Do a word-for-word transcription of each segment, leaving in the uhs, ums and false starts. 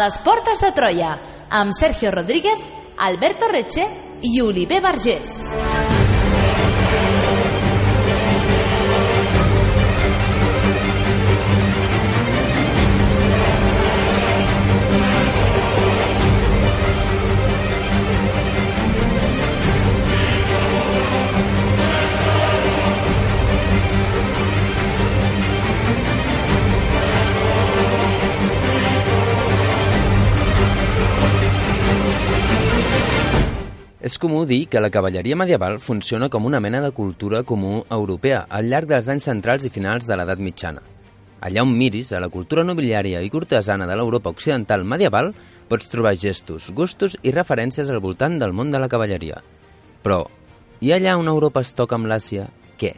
les portes de Troia, amb Sergio Rodríguez, Alberto Reche i Oliver Vergés. És comú dir que la cavalleria medieval funciona com una mena de cultura comú europea al llarg dels anys centrals i finals de l'edat mitjana. Allà on miris, a la cultura nobiliària i cortesana de l'Europa occidental medieval, pots trobar gestos, gustos i referències al voltant del món de la cavalleria. Però, i allà on Europa es toca amb l'Àsia, què?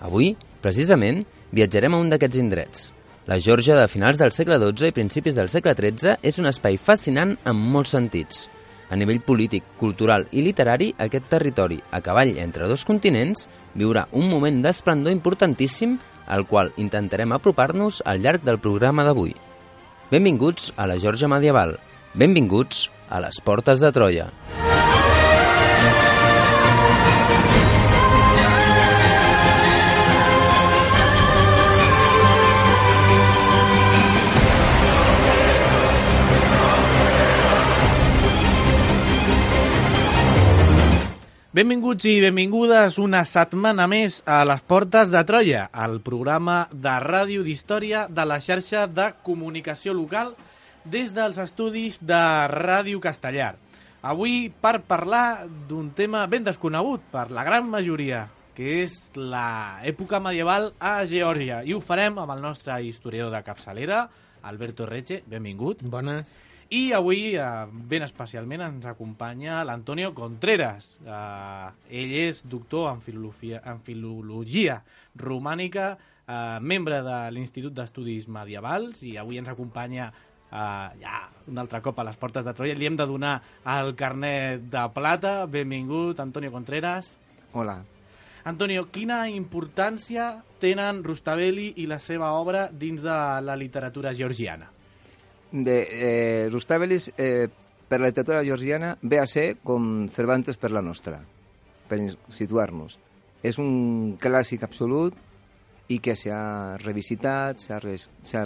Avui, precisament, viatjarem a un d'aquests indrets. La Geòrgia de finals del segle dotze i principis del segle tretze és un espai fascinant en molts sentits. A nivell polític, cultural i literari, aquest territori, a cavall entre dos continents, viurà un moment d'esplendor importantíssim al qual intentarem apropar-nos al llarg del programa d'avui. Benvinguts a la Geòrgia medieval. Benvinguts a les portes de Troia. Benvinguts i benvingudes una setmana més a les Portes de Troia, el programa de ràdio d'història de la xarxa de comunicació local des dels estudis de Ràdio Castellar. Avui per parlar d'un tema ben desconegut per la gran majoria, que és l'època medieval a Geòrgia. I ho farem amb el nostre historiador de capçalera, Alberto Reche. Benvingut. Bones. I avui, eh, ben especialment, ens acompanya l'Antonio Contreras. Eh, ell és doctor en filologia, en filologia romànica, eh, membre de l'Institut d'Estudis Medievals, i avui ens acompanya eh, ja un altre cop a les Portes de Troia. Li hem de donar el carnet de plata. Benvingut, Antonio Contreras. Hola. Antonio, quina importància tenen Rustaveli i la seva obra dins de la literatura georgiana? De, eh, Rustavelis eh, per la literatura georgiana ve a ser com Cervantes per la nostra, per situar-nos. És un clàssic absolut i que s'ha revisitat, s'ha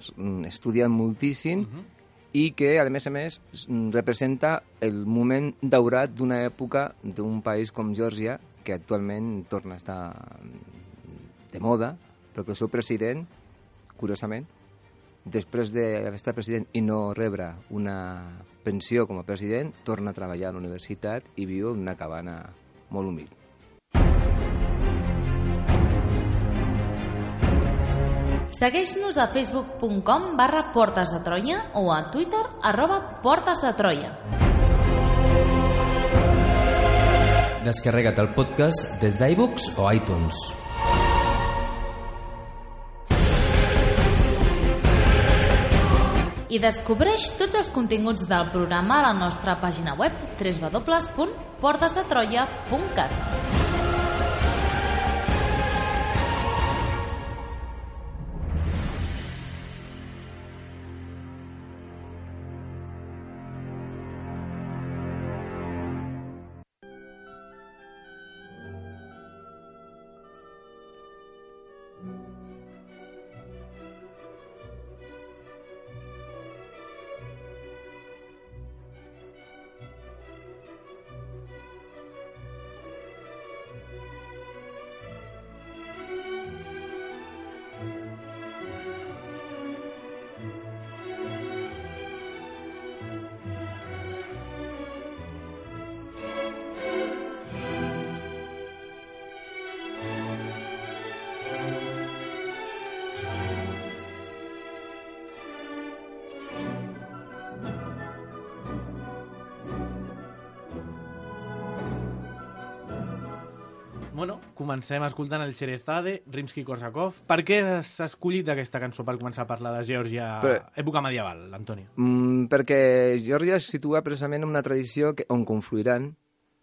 estudiat moltíssim, uh-huh. i que, a més a més, representa el moment daurat d'una època d'un país com Geòrgia, que actualment torna a estar de moda, però que el seu president, curiosament, després d'haver estat president i no rebre una pensió com a president, torna a treballar a la universitat i viu en una cabana molt humil. Segueix-nos a facebook punt com barra Portes de Troia o a Twitter arroba Portes de Troia. Descarrega't el podcast des d'iBooks o iTunes. I descobreix tots els continguts del programa a la nostra pàgina web w w w punt portes de troia punt cat. Bueno, comencem escoltant el Xerezade, Rimsky-Korsakov. Per què has escollit aquesta cançó per començar a parlar de Geòrgia, Però, època medieval, Antoni? Mm, perquè Geòrgia es situa precisament en una tradició que, on confluiran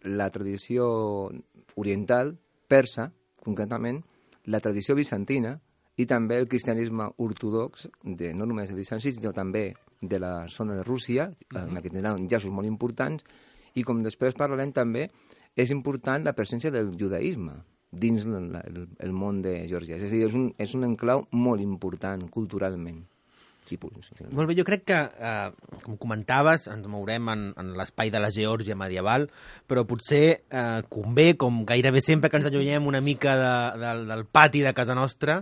la tradició oriental, persa, concretament, la tradició bizantina i també el cristianisme ortodox, de, no només de Bizanci, sinó també de la zona de Rússia, uh-huh. en la que tindran llaços molt importants, i com després parlarem també, és important la presència del judaïsme dins el, el, el món de Geòrgia. És a dir, és un, és un enclau molt important culturalment. Sí, molt bé, jo crec que, eh, com comentaves, ens mourem en, en l'espai de la Geòrgia medieval, però potser eh, convé, com gairebé sempre que ens allunyem una mica de, de, del pati de casa nostra,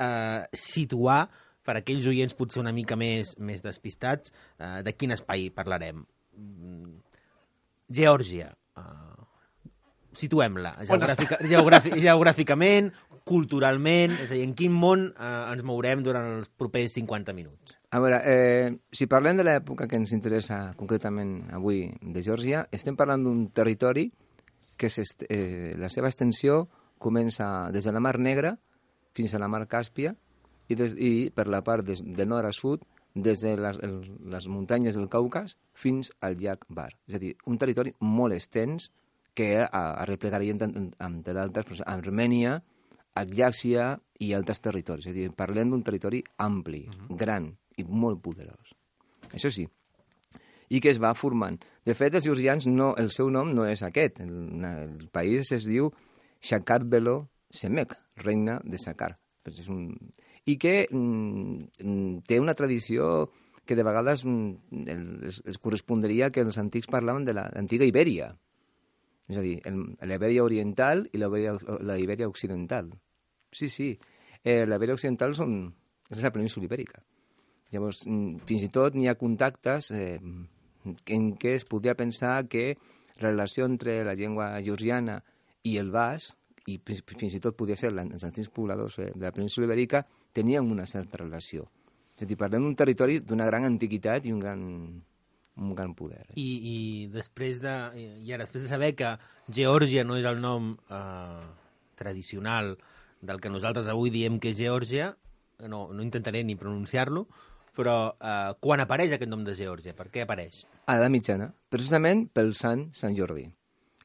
eh, situar, per aquells oients potser una mica més, més despistats, eh, de quin espai parlarem. Geòrgia. Eh, situem-la, geogràfica, geogràfic, geogràficament, culturalment, és a dir, en quin món eh, ens mourem durant els propers cinquanta minuts? A veure, eh, si parlem de l'època que ens interessa concretament avui de Geòrgia, estem parlant d'un territori que eh, la seva extensió comença des de la Mar Negra fins a la Mar Càspia i, des, i per la part des, de nord a sud, des de les, el, les muntanyes del Caucas fins al llac Bar. És a dir, un territori molt extens que arreplegaríem, entre d'altres, Armènia, Aljàxia i altres territoris. És a dir, parlem d'un territori ampli, uh-huh. gran i molt poderós. Això sí. I que es va formant. De fet, els georgians, no, el seu nom no és aquest. El, el país es diu Shakar-Belo Semek, regne de Sakar. És un... I que mm, té una tradició que de vegades mm, es, es correspondria que els antics parlaven de l'antiga Ibèria. És a dir, la Ibèria oriental i la Ibèria occidental. Sí, sí. Eh, la Ibèria occidental són, és la península ibèrica. Llavors, fins i tot n'hi ha contactes eh, en què es podria pensar que la relació entre la llengua georgiana i el basc, i fins i tot podria ser els antics pobladors eh, de la península ibèrica, tenien una certa relació. És a dir, parlem d'un territori d'una gran antiguitat i un gran... un gran poder. I, i, després de, i ara, després de saber que Geòrgia no és el nom eh, tradicional del que nosaltres avui diem que és Geòrgia, no, no intentaré ni pronunciar-lo, però eh, quan apareix aquest nom de Geòrgia? Per què apareix? A l'edat mitjana, precisament pel sant Sant Jordi.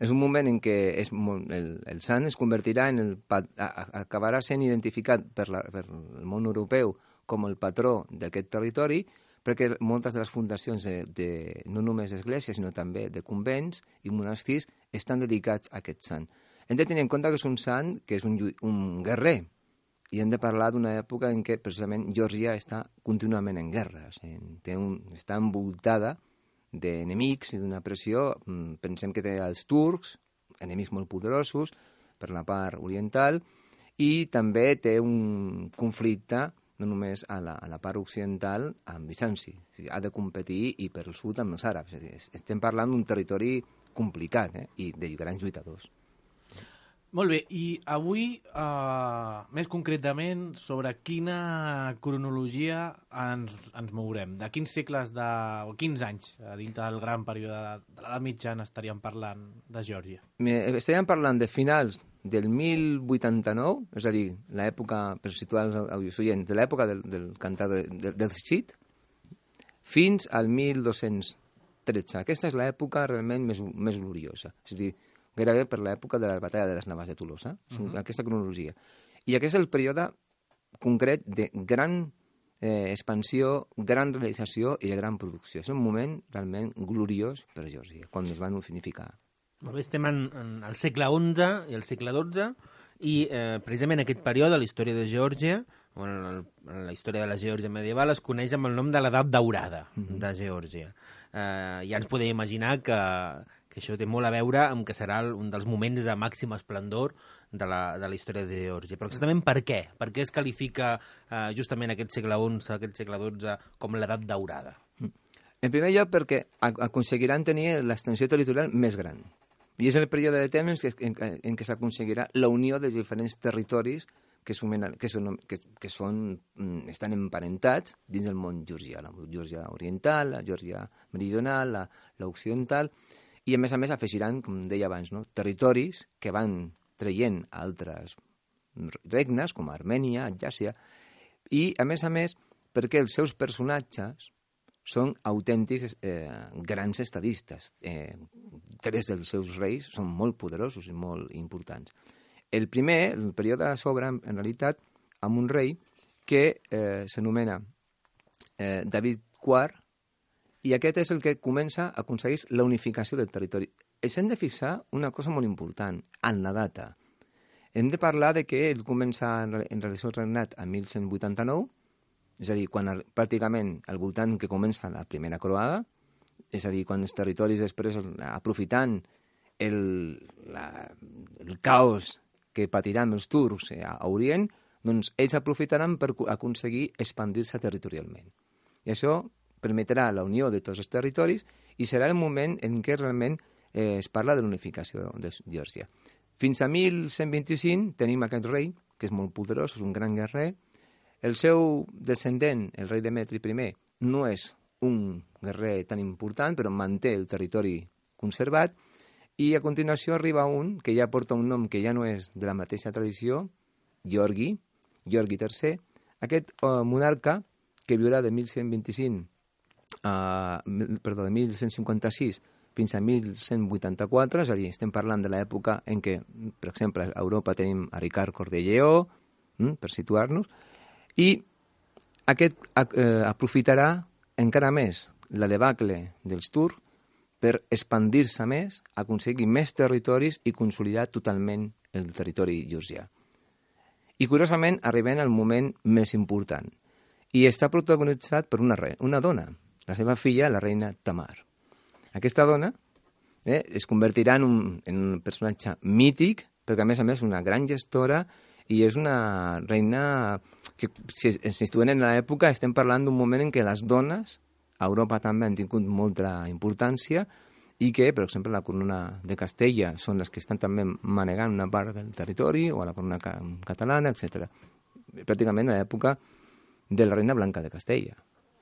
És un moment en què és molt, el, el sant es convertirà en el... acabarà sent identificat per, la, per el món europeu com el patró d'aquest territori, perquè moltes de les fundacions de, de no només esglésies, sinó també de convents i monestirs estan dedicats a aquest sant. Hem de tenir en compte que és un sant que és un, un guerrer, i hem de parlar d'una època en què precisament Geòrgia està contínuament en guerra, té un, està envoltada d'enemics i d'una pressió. Pensem que té els turcs, enemics molt poderosos per la part oriental, i també té un conflicte no només a la, a la part occidental amb Bizanci. O sigui, ha de competir i per el sud amb els àrabs. Estem parlant d'un territori complicat eh? I de grans lluitadors. Molt bé, i avui, eh, més concretament, sobre quina cronologia ens, ens mourem? De quins segles, de, o quins anys, dins del gran període de l'edat mitjana, estaríem parlant de Geòrgia? Estaríem parlant de finals del mil vuitanta-nou, és a dir, l'època, per situar els oients, de l'època del, del cantar de, de, del Schit, fins al mil dos-cents tretze. Aquesta és l'època realment més, més gloriosa. És a dir, gairebé per l'època de la batalla de les Navàs de Tolosa, uh-huh. aquesta cronologia. I aquest és el període concret de gran eh, expansió, gran realització i de gran producció. És un moment realment gloriós per a Geòrgia, quan es van unificar. Molt bé, estem en, en el segle onze i el segle dotze, i eh, precisament aquest període, la història de Geòrgia, o en, el, en la història de la Geòrgia medieval, es coneix amb el nom de l'edat daurada uh-huh. de Geòrgia. Eh, ja ens podem imaginar que, que això té molt a veure amb que serà un dels moments de màxim esplendor de la, de la història de Geòrgia. Però exactament per què? Per què es qualifica eh, justament aquest segle onze, aquest segle dotze, com l'edat daurada? En primer lloc, perquè aconseguiran tenir l'extensió territorial més gran. I és el període de temps en, en, en què s'aconseguirà la unió de diferents territoris que, sumen, que, són, que, que són, estan emparentats dins del món georgià. La Geòrgia oriental, la Geòrgia meridional, la, la occidental, i a més a més afegiran, com deia abans, no? territoris que van traient altres regnes, com Armènia, Aljàxia, i a més a més perquè els seus personatges són autèntics eh, grans estadistes. Eh, tres dels seus reis són molt poderosos i molt importants. El primer, el període s'obre, en realitat, amb un rei que eh, s'anomena eh, David quart I aquest és el que comença a aconseguir la unificació del territori. Ens hem de fixar una cosa molt important, en la data. Hem de parlar de que ell comença en relació al regnat a mil cent vuitanta-nou, és a dir, quan el, pràcticament al voltant que comença la primera croada, és a dir, quan els territoris després, aprofitant el, la, el caos que patiran els turcs a Orient, doncs ells aprofitaran per aconseguir expandir-se territorialment. I això permetrà la unió de tots els territoris i serà el moment en què realment eh, es parla de l'unificació de Geòrgia. Fins a mil cent vint-i-cinc tenim aquest rei, que és molt poderós, és un gran guerrer. El seu descendent, el rei Demetri I, no és un guerrer tan important, però manté el territori conservat. I a continuació arriba un que ja porta un nom que ja no és de la mateixa tradició, Georgi, Georgi tercer, aquest uh, monarca que viurà de mil cent vint-i-cinc a, perdó, de mil cent cinquanta-sis fins a mil cent vuitanta-quatre, és a dir, estem parlant de l'època en què, per exemple, a Europa tenim a Ricard Cor de Lleó, hm, per situar-nos, i aquest eh, aprofitarà encara més la debacle dels turcs per expandir-se més, aconseguir més territoris i consolidar totalment el territori georgià. I, curiosament, arribem al moment més important. I està protagonitzat per una, re, una dona, la seva filla, la reina Tamar. Aquesta dona eh, es convertirà en un, en un personatge mític, perquè, a més a més, una gran gestora i és una reina que, si ens situem en l'època, estem parlant d'un moment en què les dones a Europa també han tingut molta importància i que, per exemple, la corona de Castella són les que estan també manegant una part del territori, o a la corona ca catalana, etcètera. Pràcticament a l'època de la reina Blanca de Castella,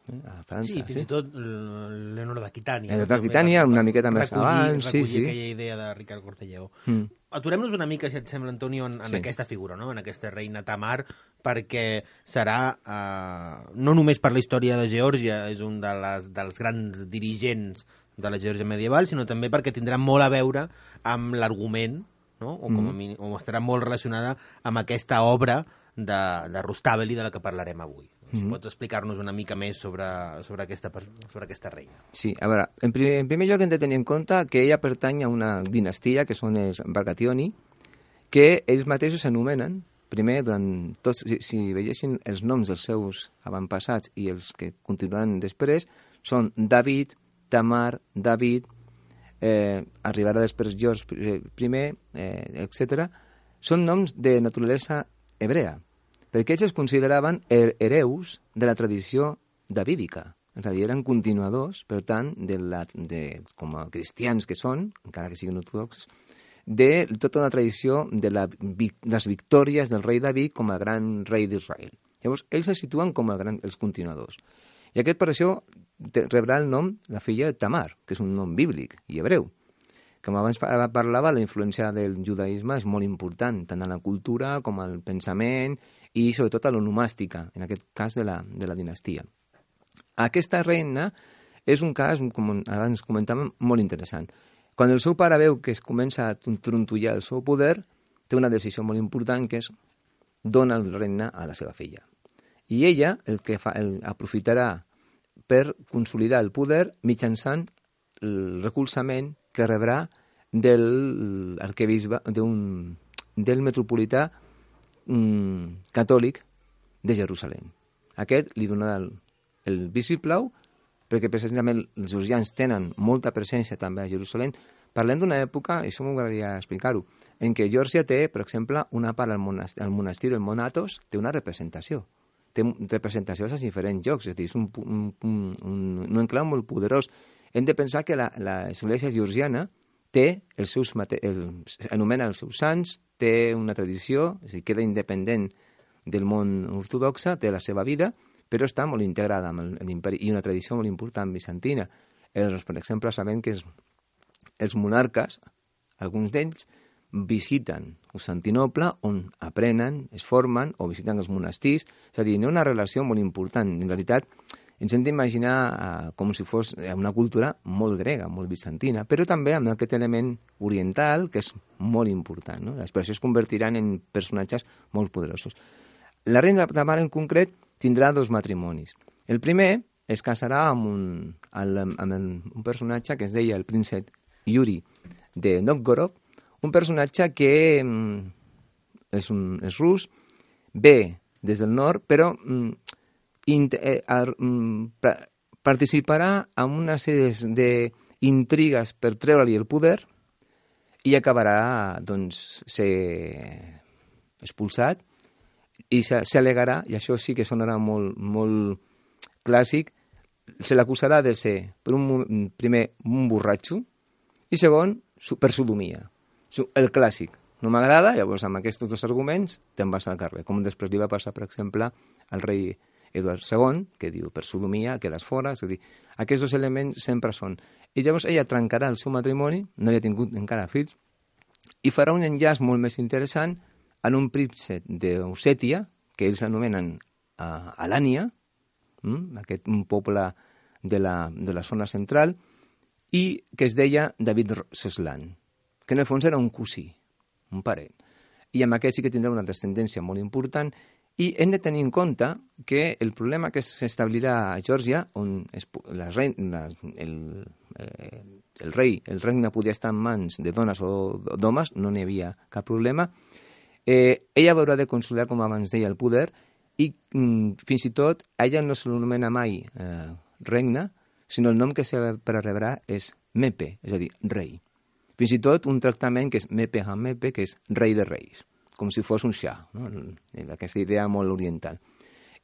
eh, a França. Sí, fins sí? i tot Leonor d'Aquitània. Leonor d'Aquitània, una miqueta més abans. Recollir sí, sí. aquella idea de Ricard Cor de Lleó. Mm. Aturem-nos una mica, si et sembla, Antonio, en, en sí. aquesta figura, no? En aquesta reina Tamar, perquè serà, eh, no només per la història de Geòrgia, és un de les, dels grans dirigents de la Geòrgia medieval, sinó també perquè tindrà molt a veure amb l'argument, no? o, com a mínim, o estarà molt relacionada amb aquesta obra de, de Rustaveli de la que parlarem avui. Si mm -hmm. pots explicar-nos una mica més sobre, sobre, aquesta, sobre aquesta reina. Sí, a veure, en primer, en primer lloc hem de tenir en compte que ella pertany a una dinastia, que són els Bargationi, que ells mateixos s'anomenen, primer, durant tots, si, si veiessin els noms dels seus avantpassats i els que continuaran després, són David, Tamar, David, eh, arribarà després George I, eh, etcètera. Són noms de naturalesa hebrea, perquè ells es consideraven hereus de la tradició davídica. És a dir, eren continuadors, per tant, de la, de, com a cristians que són, encara que siguin ortodoxos, de tota una tradició de la, les victòries del rei David com a gran rei d'Israel. Llavors, ells se situen com a gran, els continuadors. I aquest, per això, rebrà el nom la filla de Tamar, que és un nom bíblic i hebreu. Com abans parlava, la influència del judaïsme és molt important, tant en la cultura com en el pensament i sobretot a l'onomàstica, en aquest cas de la, de la dinastia. Aquesta reina és un cas, com abans comentàvem, molt interessant. Quan el seu pare veu que es comença a trontollar el seu poder, té una decisió molt important, que és donar el regne a la seva filla. I ella el que fa, el, aprofitarà per consolidar el poder mitjançant el recolzament que rebrà del arquebisbe, d'un, del metropolità um, catòlic de Jerusalem. Aquest li donarà el, el vistiplau perquè precisament els georgians tenen molta presència també a Jerusalem. Parlem d'una època, i això m'agradaria explicar-ho, en què Geòrgia té, per exemple, una part al monestir, al monestir del Monatos, té una representació. Té representacions als diferents llocs, és a dir, és un, un, un, un, un enclau molt poderós. Hem de pensar que l'església georgiana té els seus, el, anomena els seus sants, té una tradició, és a dir, queda independent del món ortodoxe, té la seva vida, però està molt integrada amb l'imperi i una tradició molt important bizantina. Els, per exemple, sabem que els, els monarques, alguns d'ells, visiten Constantinople, on aprenen, es formen, o visiten els monestirs. És a dir, hi ha una relació molt important. En realitat, ens hem d'imaginar uh, com si fos una cultura molt grega, molt bizantina, però també amb aquest element oriental, que és molt important, no? Per això es convertiran en personatges molt poderosos. La reina Tamar, en concret, tindrà dos matrimonis. El primer es casarà amb un, amb un personatge que es deia el príncep Yuri de Novgorod, un personatge que és, un, és rus, ve des del nord, però mm, eh, eh, participarà en una sèrie d'intrigues per treure-li el poder i acabarà, doncs, ser expulsat i s'alegarà, i això sí que sonarà molt, molt clàssic, se l'acusarà de ser, per un, primer, un borratxo i segon, per sodomia. El clàssic. No m'agrada, llavors amb aquests dos arguments te'n vas al carrer. Com després li va passar, per exemple, al rei Eduard segon, que diu per sodomia quedes fora. És a dir, aquests dos elements sempre són. I llavors ella trencarà el seu matrimoni, no havia tingut encara fills, i farà un enllaç molt més interessant en un príncep d'Ossètia, que ells anomenen uh, Alània, mm? aquest un poble de la, de la zona central, i que es deia David Soslan, que en el fons era un cosí, un parent. I amb aquest sí que tindrà una descendència molt important, i hem de tenir en compte que el problema que s'establirà a Geòrgia, on es, la rei, la, el, eh, el rei, el regne podia estar en mans de dones o d'homes, no n'hi havia cap problema, eh, ella haurà de consolidar, com abans deia, el poder, i mm, fins i tot a ella no se l'anomena mai eh, regne, sinó el nom que se per rebrà és Mepe, és a dir, rei. Fins i tot un tractament que és Mepe ha Mepe, que és rei de reis, com si fos un xa, no? Aquesta idea molt oriental.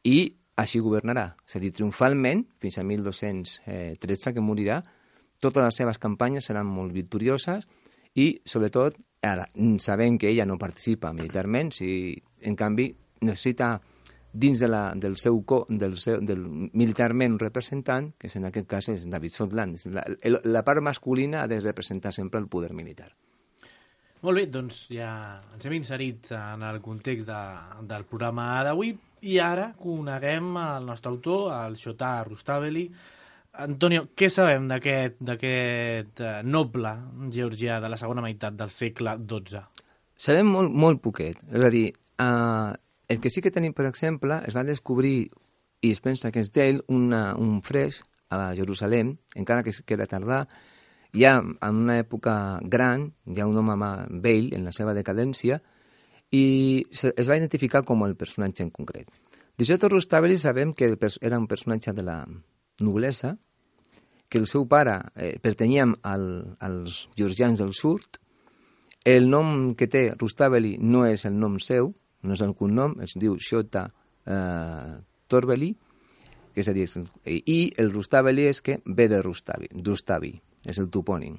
I així governarà, és a dir, triomfalment, fins a mil dos-cents tretze, que morirà, totes les seves campanyes seran molt victorioses i, sobretot, ara, sabent que ella no participa militarment, si, en canvi, necessita dins de la, del seu co, del, seu, del militarment un representant, que en aquest cas és David Soslan. La, la part masculina ha de representar sempre el poder militar. Molt bé, doncs ja ens hem inserit en el context de, del programa d'avui i ara coneguem el nostre autor, el Shota Rustaveli. Antonio, què sabem d'aquest noble georgià de la segona meitat del segle dotze? Sabem molt, molt poquet. És a dir, uh, el que sí que tenim, per exemple, es va descobrir, i es pensa que és d'ell, un fresc a Jerusalem, encara que queda tardà, ja en una època gran, ja un home vell en la seva decadència, i es va identificar com el personatge en concret. De Shota Rustaveli sabem que era un personatge de la noblesa, que el seu pare eh, pertanyia al, als georgians del sud. El nom que té Rustaveli no és el nom seu, no és el cognom, es diu Shota eh, Torveli, que és a dir, i el Rustaveli és que ve de Rustavi, Rustavi, és el topònim.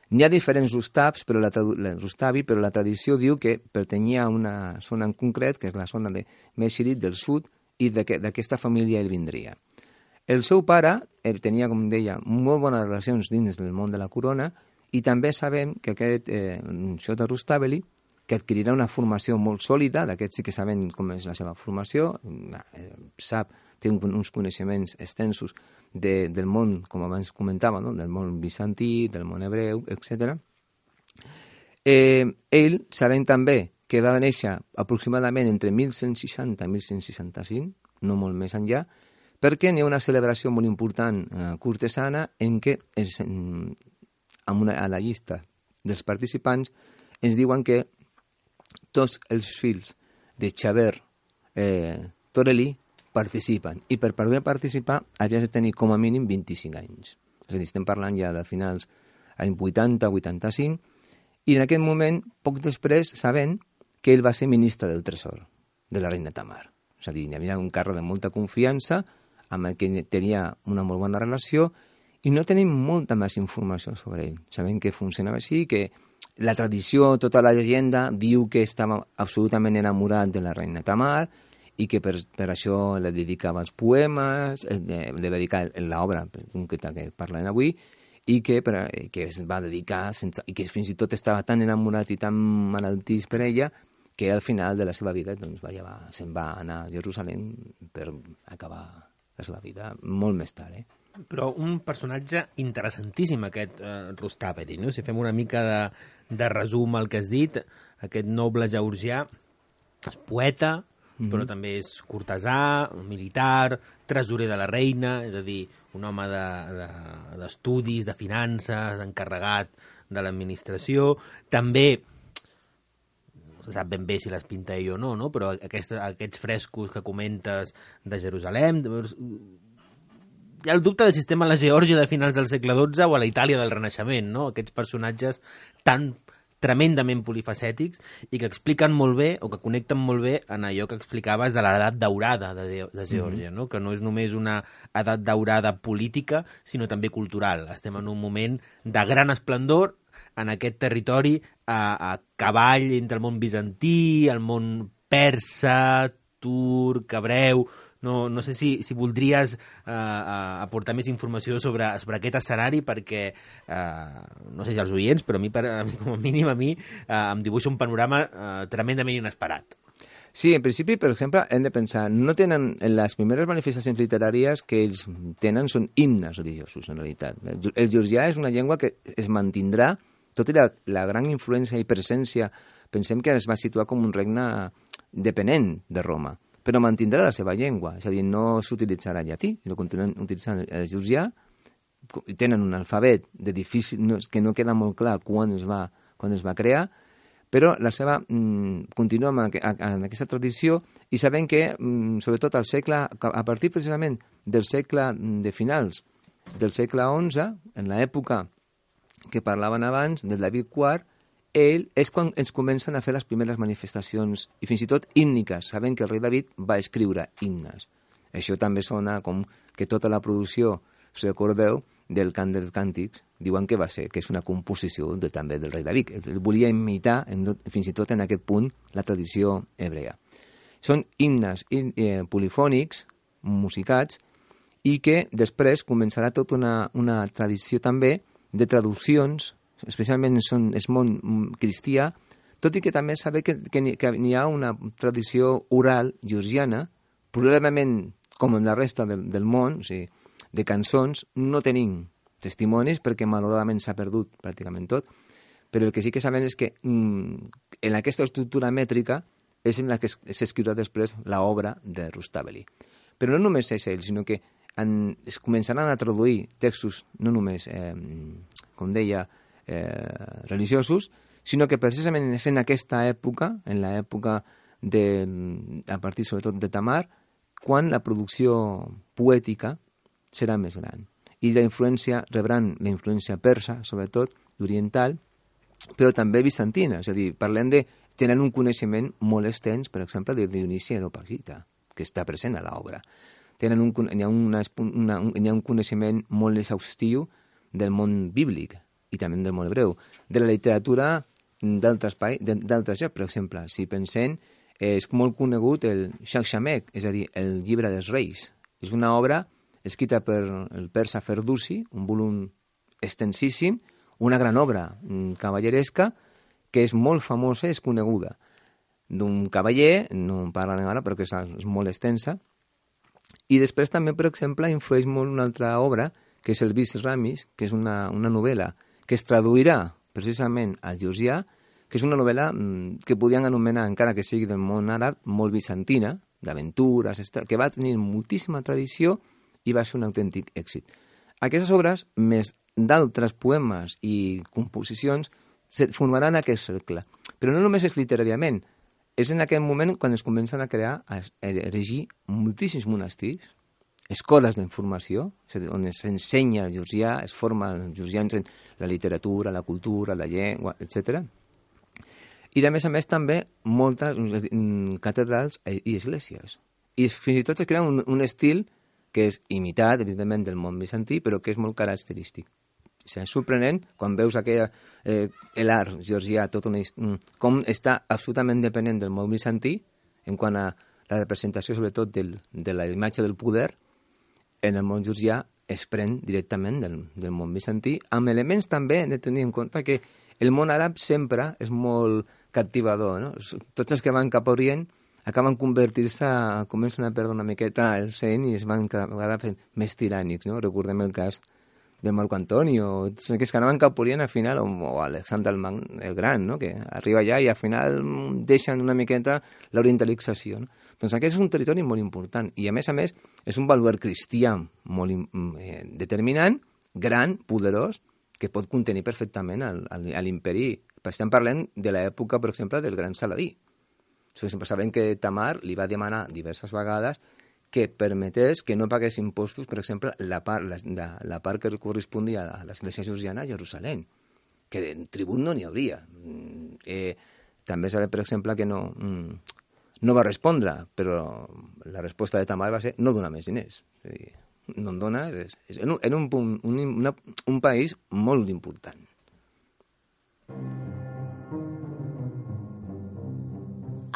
N'hi ha diferents Rustavs, però la, la, Rustavi, però la tradició diu que pertanyia a una zona en concret, que és la zona de Meshirit del sud, i d'aquesta família ell vindria. El seu pare, ell tenia, com deia, molt bones relacions dins del món de la corona, i també sabem que aquest eh, Shota Rustaveli, que adquirirà una formació molt sòlida, d'aquest sí que sabem com és la seva formació, eh, sap, té uns coneixements extensos de, del món, com abans comentava, no? Del món bizantí, del món hebreu, etcètera. Eh, ell, sabem també que va néixer aproximadament entre mil cent seixanta i mil cent seixanta-cinc, no molt més enllà, perquè n'hi ha una celebració molt important eh, cortesana en què es, en, una, a la llista dels participants ens diuen que tots els fills de Xaver eh, Toreli participen, i per poder participar havies de tenir com a mínim vint-i-cinc anys. És a dir, estem parlant ja de finals anys vuitanta vuitanta-cinc, i en aquest moment, poc després, sabent que ell va ser ministre del tresor de la reina Tamar. És a dir, hi havia un càrrec de molta confiança, amb el que tenia una molt bona relació, i no tenim molta més informació sobre ell. Sabem que funcionava així, que la tradició, tota la llegenda, diu que estava absolutament enamorat de la reina Tamar i que per, per això le dedicava els poemes, le va dedicar l'obra concreta que parlem avui, i que, per, que es va dedicar, sense, i que fins i tot estava tan enamorat i tan malaltís per ella, que al final de la seva vida doncs, va llevar, se'n va anar a Jerusalem per acabar la seva vida molt més tard. Eh? Però un personatge interessantíssim, aquest eh, Rustaveli, no? Si fem una mica de, de resum al que has dit, aquest noble georgià, poeta, mm-hmm. però també és cortesà, militar, tresorer de la reina, és a dir, un home d'estudis, de, de, de finances, encarregat de l'administració. També, no se sap ben bé si les pinta ell o no, no? Però aquesta, aquests frescos que comentes de Jerusalem... Hi ha el dubte de si estem a la Geòrgia de finals del segle dotze o a la Itàlia del Renaixement, no? Aquests personatges tan tremendament polifacètics i que expliquen molt bé o que connecten molt bé en allò que explicaves de l'edat daurada de, de Geòrgia, no? Que no és només una edat daurada política, sinó també cultural. Estem en un moment de gran esplendor en aquest territori a, a cavall entre el món bizantí, el món persa, turc, hebreu... No, no sé si, si voldries uh, uh, aportar més informació sobre, sobre aquest escenari perquè, uh, no sé si els oients, però a mi, per, a mi com a mínim a mi, uh, em dibuixa un panorama uh, tremendament inesperat. Sí, en principi, per exemple, hem de pensar, no tenen, en les primeres manifestacions literàries que ells tenen són himnes religiosos, en realitat. El georgià és una llengua que es mantindrà, tot i la, la gran influència i presència, pensem que es va situar com un regne depenent de Roma, però mantindrà la seva llengua, és a dir, no s'utilitzarà llatí, no continuen utilitzant el georgià, tenen un alfabet de difícil, no, que no queda molt clar quan es va, quan es va crear, però la seva mm, continua amb, amb aquesta tradició i sabem que, mm, sobretot al segle, a partir precisament del segle de finals del segle onze, en l'època que parlaven abans, del David quart, ell és quan ens comencen a fer les primeres manifestacions, i fins i tot hímniques. Sabem que el rei David va escriure himnes. Això també sona com que tota la producció, si recordeu, del cant dels càntics, diuen que va ser, que és una composició de, també del rei David. Ell volia imitar, en, fins i tot en aquest punt, la tradició hebrea. Són himnes eh, polifònics, musicats, i que després començarà tota una, una tradició també de traduccions, especialment en el món cristià, tot i que també saber que, que, que hi ha una tradició oral georgiana, probablement com en la resta del, del món, o sigui, de cançons, no tenim testimonis perquè malauradament s'ha perdut pràcticament tot, però el que sí que sabem és que mm, en aquesta estructura mètrica és en la que s'escriurà després l'obra de Rustaveli. Però no només és ell, sinó que en, es començaran a traduir textos no només, eh, com deia, Eh, religiosos, sinó que precisament és en aquesta època, en l'època de, a partir sobretot de Tamar, quan la producció poètica serà més gran. I la influència, rebran la influència persa, sobretot, oriental, però també bizantina, és a dir, parlem de, tenen un coneixement molt extens, per exemple, de Dionisi Areopagita, que està present a l'obra. Tenen un, hi ha una, una, un, hi ha un coneixement molt exhaustiu del món bíblic, i també del món hebreu, de la literatura d'altres llocs. Per exemple, si pensem, és molt conegut el Shakshamek, és a dir, el llibre dels reis. És una obra escrita per el persa Ferdusi, un volum extensíssim, una gran obra cavalleresca, que és molt famosa i és coneguda. D'un cavaller, no en parlen ara, però que és, és molt extensa. I després també, per exemple, influeix molt una altra obra, que és el Vis Ramis, que és una, una novel·la que es traduirà precisament al georgià, que és una novel·la que podien anomenar, encara que sigui del món àrab, molt bizantina, d'aventures, que va tenir moltíssima tradició i va ser un autèntic èxit. Aquestes obres, més d'altres poemes i composicions, formaran aquest cercle. Però no només és literàriament, és en aquest moment quan es comencen a crear, a erigir moltíssims monestirs, escoles d'informació, on s'ensenya el georgià, es forma els georgians en la literatura, la cultura, la llengua, etcètera. I, a més a més, també moltes catedrals i esglésies. I fins i tot es crea un, un estil que és imitat, evidentment, del món bizantí, però que és molt característic. És sorprenent quan veus aquella, eh, l'art georgià, tot una, com està absolutament dependent del món bizantí, en quant a la representació, sobretot, del, de la imatge del poder, en el món georgià es pren directament del, del món bizantí, amb elements també de tenir en compte que el món àrab sempre és molt captivador, no? Tots els que van cap a Orient acaben convertir-se, comencen a perdre una miqueta el seny i es van cada vegada fent més tirànics, no? Recordem el cas de Marco Antonio, que es que anaven cap a Orient al final, o, o Alexandre el, Mag, el Gran, no? Que arriba allà i al final deixen una miqueta l'orientalització, no? Doncs aquest és un territori molt important i, a més a més, és un baluard cristià molt eh, determinant, gran, poderós, que pot contenir perfectament el, el, l'imperi. Estem parlant de l'època, per exemple, del gran Saladí. Sempre sabem que Tamar li va demanar diverses vegades que permetés que no pagués impostos, per exemple, la part, la, la, la part que correspondia a l'església georgiana a Jerusalem, que de tribut no n'hi hauria. Eh, també sabem, per exemple, que no, no va respondre, però la resposta de Tamar va ser no donar més diners. És a dir, no en dona, és, és, en, un, en un, punt, un, una, un país molt important.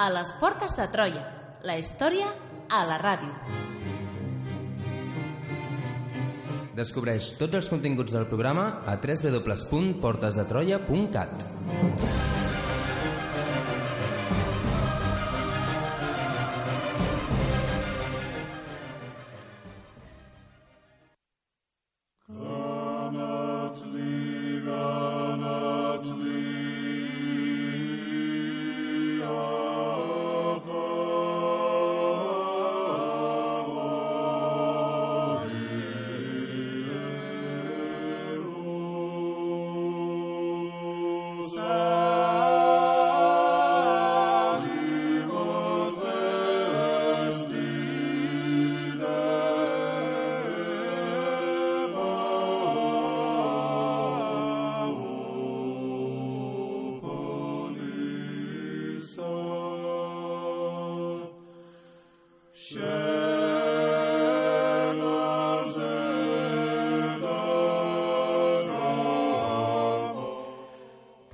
A les portes de Troia, la història a la ràdio. Descobreix tots els continguts del programa a w w w punt portes de troia punt cat.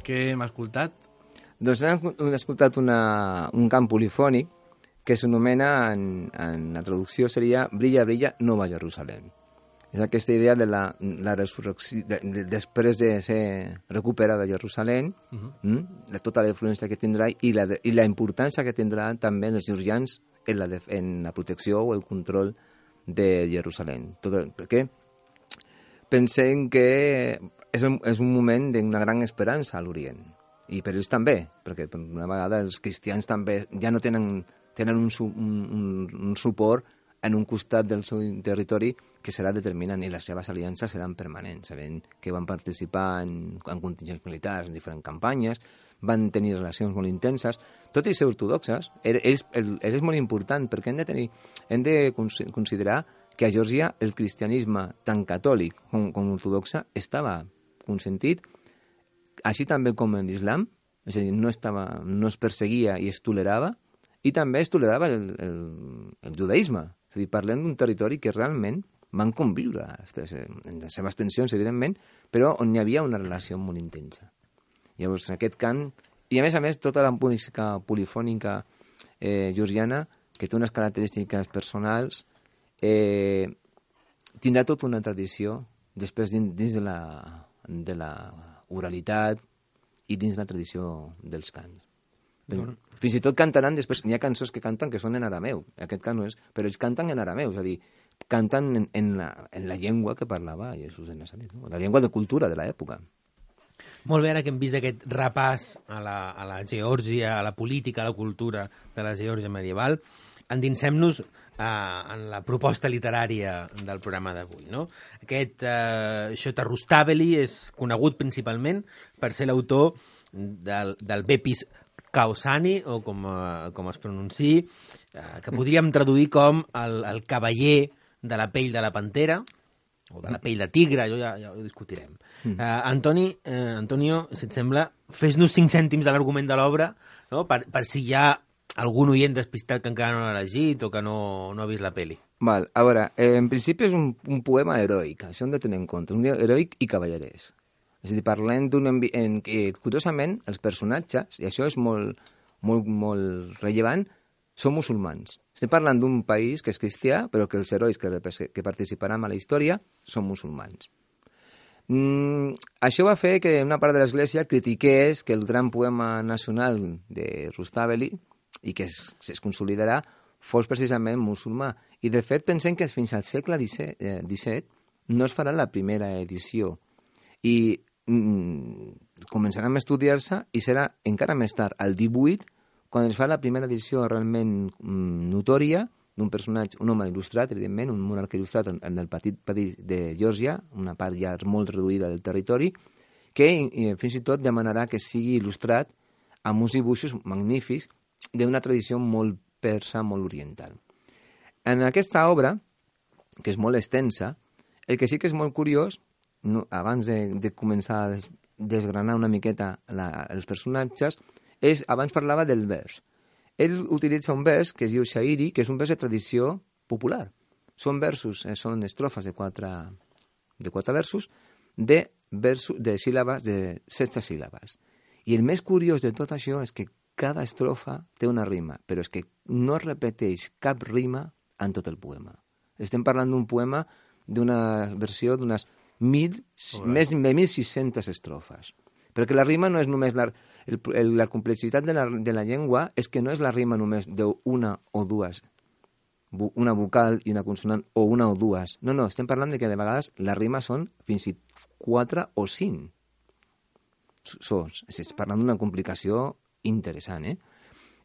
Què hem escoltat? Doncs hem escoltat una, un cant polifònic que s'anomena, en, en la traducció seria Brilla, brilla, Nova Jerusalem. És aquesta idea de la, la resurrecció, de, de, després de ser recuperada Jerusalem, uh-huh. mm, de tota la influència que tindrà i la, de, i la importància que tindrà també els georgians en la, de, en la protecció o el control de Jerusalem. Tot, perquè pensem que és un, és un moment d'una gran esperança a l'Orient. I per ells també, perquè una vegada els cristians també ja no tenen, tenen un, un, un suport en un costat del seu territori que serà determinant i les seves aliances seran permanents. Sabem que van participar en, en contingents militars, en diferents campanyes, van tenir relacions molt intenses, tot i ser ortodoxes. És, és molt important perquè hem de, tenir, hem de considerar que a Geòrgia el cristianisme, tant catòlic com, com ortodoxa, estava consentit, així també com en l'islam, és a dir, no, estava, no es perseguia i es tolerava, i també es tolerava el, el, el judaïsme. És a dir, parlem d'un territori que realment van conviure en les seves tensions, evidentment, però on hi havia una relació molt intensa. Llavors, aquest cant, i a més a més, tota la música polifònica eh, georgiana, que té unes característiques personals, eh, tindrà tota una tradició després dins, dins de la de la oralitat i dins la tradició dels cants. Doncs... Fins i tot cantaran després, n'hi ha cançons que canten que són en arameu, aquest cant no és, però ells canten en arameu, és a dir, canten en, en, la, en la llengua que parlava Jesús de Nazaret, no? La llengua de cultura de l'època. Molt bé, ara que hem vist aquest repàs a la, a la Geòrgia, a la política, a la cultura de la Geòrgia medieval, endinsem-nos eh, en la proposta literària del programa d'avui. No? Aquest eh, Shota Rustaveli és conegut principalment per ser l'autor del, del Bepis Kaosani, o com, eh, com es pronunciï, eh, que podríem traduir com el, el cavaller de la pell de la pantera, o de la pell de tigre, jo ja, ja ho discutirem. Mm. Uh, Antoni, uh, Antonio, si et sembla, fes-nos cinc cèntims de l'argument de l'obra, no? per, per si hi ha algun oient despistat que encara no l'ha llegit o que no, no ha vist la pel·li. Val, a veure, eh, en principi és un, un poema heroic, això hem de tenir en compte, un heroic i cavallerès. És a dir, parlem d'un ambi... en què, curiosament, els personatges, i això és molt, molt, molt rellevant, són musulmans. Estem parlant d'un país que és cristià, però que els herois que, que participaran a la història són musulmans. Mm, això va fer que una part de l'Església critiqués que el gran poema nacional de Rustaveli, i que es, es consolidarà, fos precisament musulmà. I, de fet, pensem que fins al segle disset no es farà la primera edició. I mm, començaran a estudiar-se i serà encara més tard, al divuit, quan es fa la primera edició realment mm, notòria d'un personatge, un home il·lustrat, evidentment, un monarca il·lustrat en, en el petit país de Geòrgia, una part ja molt reduïda del territori, que i, fins i tot demanarà que sigui il·lustrat amb uns dibuixos magnífics d'una tradició molt persa, molt oriental. En aquesta obra, que és molt extensa, el que sí que és molt curiós, no, abans de, de començar a des, desgranar una miqueta la, els personatges, és, abans parlava del vers. Ell utilitza un vers que es diu Shairi, que és un vers de tradició popular. Són versos, eh, són estrofes de quatre, de quatre versos, de, versos, de síl·labes, de setze síl·labes. I el més curiós de tot això és que cada estrofa té una rima, però és que no es repeteix cap rima en tot el poema. Estem parlant d'un poema d'una versió d'unes mil, més de mil sis-centes estrofes. Perquè la rima no és només... La, el, el, la complexitat de la, de la llengua és que no és la rima només d'una o dues, una vocal i una consonant, o una o dues. No, no, estem parlant de que de vegades la rima són fins i quatre o cinc. Sos, estem parlant d'una complicació interessant, eh?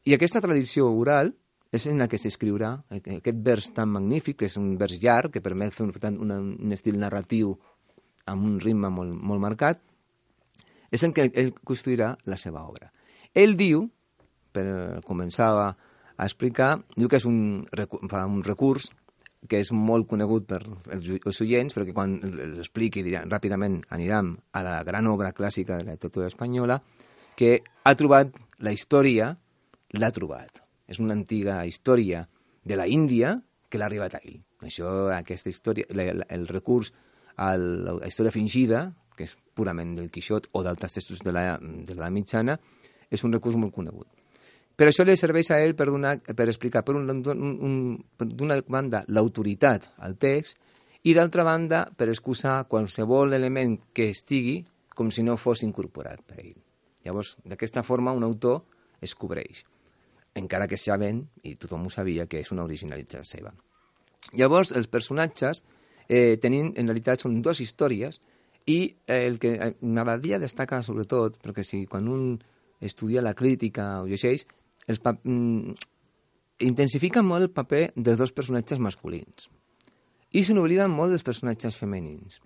I aquesta tradició oral és en la que s'escriurà aquest vers tan magnífic, que és un vers llarg, que permet fer un, un, un estil narratiu amb un ritme molt, molt marcat, és en què ell construirà la seva obra. Ell diu, per començar a, a explicar, diu que és un, fa un recurs que és molt conegut per els, els oients, però que quan l'expliqui ràpidament anirem a la gran obra clàssica de la literatura espanyola, que ha trobat la història, l'ha trobat. És una antiga història de la Índia que l'ha arribat a ell. Això, aquesta història, el, el recurs a la història fingida, que és purament del Quixot o d'altres textos de la, de la mitjana, és un recurs molt conegut. Per això li serveix a ell per, donar, per explicar, per, un, un, un, per d'una banda, l'autoritat al text i, d'altra banda, per excusar qualsevol element que estigui com si no fos incorporat per ell. Llavors, d'aquesta forma, un autor es cobreix, encara que sabent, i tothom ho sabia, que és una originalitat seva. Llavors, els personatges eh, tenim, en realitat, són dues històries, i el que m'agradaria destacar, sobretot, perquè si quan un estudia la crítica o llegeix, els pa- mm, intensifica molt el paper dels dos personatges masculins. I se n'obliden molt dels personatges femenins.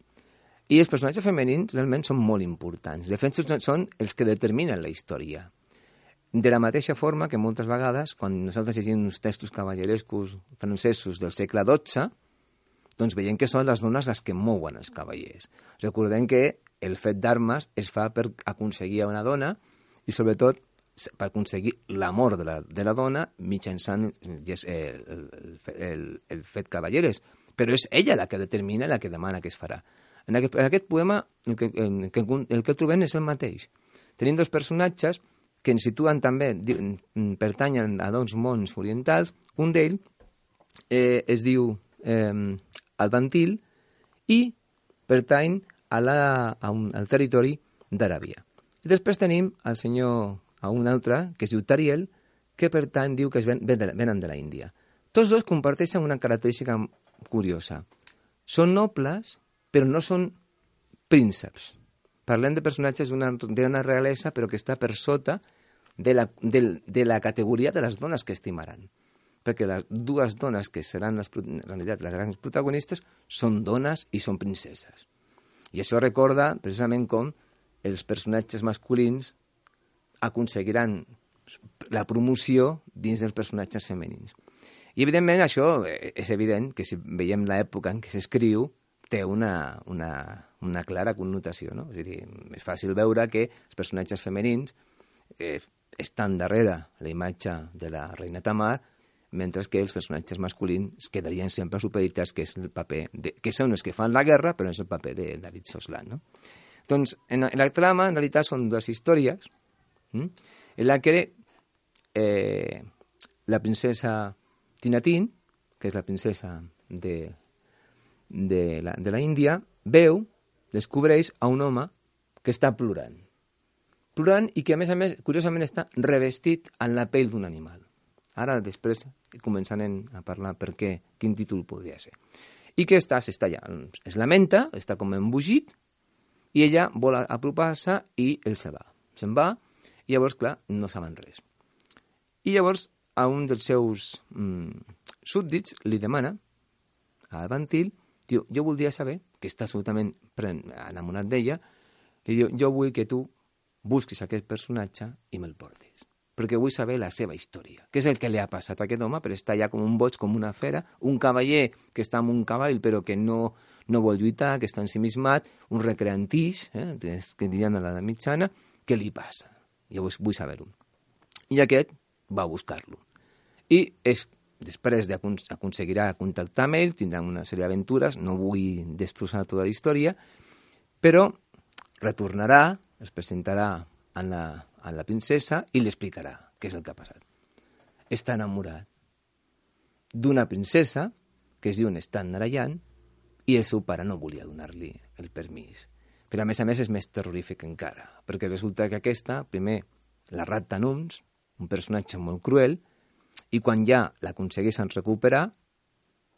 I els personatges femenins realment són molt importants. De fet, són els que determinen la història. De la mateixa forma que moltes vegades, quan nosaltres llegim uns textos cavallerescos francesos del segle dotze, doncs veiem que són les dones les que mouen els cavallers. Recordem que el fet d'armes es fa per aconseguir una dona i, sobretot, per aconseguir l'amor de, la, de la dona mitjançant el, el, el, el fet cavalleres. Però és ella la que determina, la que demana que es farà. En aquest, en aquest poema el que, el, que, el que trobem és el mateix. Tenim dos personatges que ens situen també, pertanyen a dos mons orientals. Un d'ells eh, es diu eh, Albantil i pertany a la, a un, al territori d'Aràbia. I després tenim el senyor, a un altre, que es diu Tariel, que pertany, diu que es ven, ven de, venen de la Índia. Tots dos comparteixen una característica curiosa. Són nobles, però no són prínceps. Parlem de personatges d'una realesa, però que està per sota de la, de, de la categoria de les dones que estimaran. Perquè les dues dones que seran les, en realitat les grans protagonistes són dones i són princeses. I això recorda precisament com els personatges masculins aconseguiran la promoció dins dels personatges femenins. I, evidentment, això és evident que si veiem l'època en què s'escriu, té una, una, una clara connotació, no? És a dir, és fàcil veure que els personatges femenins eh, estan darrere la imatge de la reina Tamar, mentre que els personatges masculins quedarien sempre supeditats, que és el paper de, que són els que fan la guerra, però és el paper de David Soslan, no? Doncs, en la, en la trama, en realitat, són dues històries, hm? en la que eh, la princesa Tinatín, que és la princesa de, de, la, de la Índia, veu, descobreix a un home que està plorant. Plorant i que, a més a més, curiosament, està revestit en la pell d'un animal. Ara, després, començarem a parlar per què, quin títol podria ser. I que està, s'està allà, es lamenta, està com embogit, i ella vol apropar-se i ell se va. Se'n va, i llavors, clar, no saben res. I llavors a un dels seus mm, súbdits li demana al Bantil, diu, jo voldria saber, que està absolutament enamorat d'ella, li diu, jo vull que tu busquis aquest personatge i me'l portis, perquè vull saber la seva història. Què és el que li ha passat a aquest home per estar allà com un boig, com una fera, un cavaller que està amb un cavall però que no, no vol lluitar, que està ensimismat, un recreantix, eh, que dirien a l'edat mitjana, què li passa? Jo vull saber-ho. I aquest va a buscar-lo. I és, després aconseguirà contactar amb ell, tindran una sèrie d'aventures, no vull destrossar tota la història, però retornarà, es presentarà a la, a la princesa i li explicarà què és el que ha passat. Està enamorat d'una princesa que es diu Stan Narayan i el seu pare no volia donar-li el permís. Però a més a més és més terrorífic encara, perquè resulta que aquesta, primer, la rapta Nums, un personatge molt cruel, i quan ja l'aconsegueixen recuperar,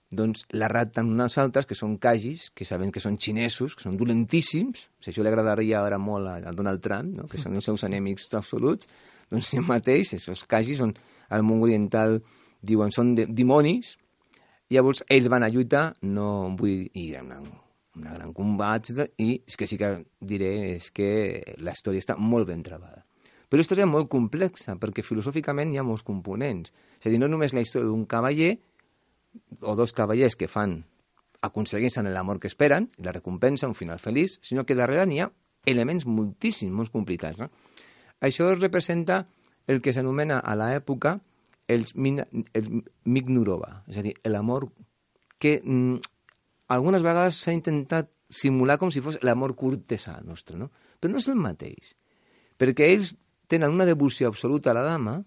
doncs la rapten unes altres, que són cagis, que saben que són xinesos, que són dolentíssims, si això li agradaria ara molt a Donald Trump, no? Que són els seus enemics absoluts, doncs si mateix, aquests cagis són, al món oriental diuen, són de, dimonis, llavors ells van a lluitar, no vull ir a una, una gran combat, i és que sí que diré és que la història està molt ben travada. Però la història és molt complexa, perquè filosòficament hi ha molts components. És a dir, no només la història d'un cavaller, o dos cavallers que fan, aconsegueixen l'amor que esperen, i la recompensa, un final feliç, sinó que darrere n'hi ha elements moltíssims, molt complicats. No? Això representa el que s'anomena a l'època el, el Mignorova, és a dir, l'amor que mm, algunes vegades s'ha intentat simular com si fos l'amor cortesà nostre, no? Però no és el mateix, perquè ells tenen una devoció absoluta a la dama,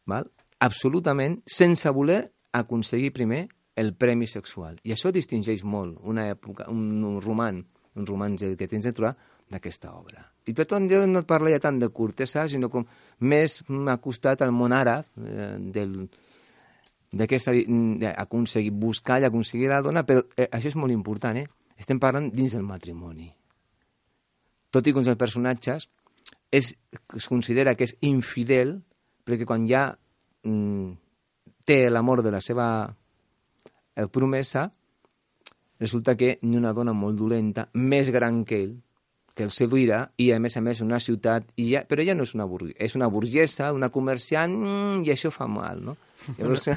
val? Absolutament, sense voler aconseguir primer el premi sexual. I això distingeix molt una època, un, un roman, un romanç que tens de trobar d'aquesta obra. I per tant, jo no et parlaria tant de cortesà, sinó com més m'ha costat al món àrab, eh, del, d'aquesta, d'aconseguir buscar i aconseguir la dona, però eh, això és molt important, eh? Estem parlant dins del matrimoni. Tot i que uns dels personatges és, es considera que és infidel, perquè quan ja mm, té l'amor de la seva eh, promesa, resulta que n'hi ha una dona molt dolenta, més gran que ell, que el seduirà, i a més a més una ciutat, i ja, però ella no és una burguesa, és una burgesa, una comerciant, mm, i això fa mal, no? Llavors,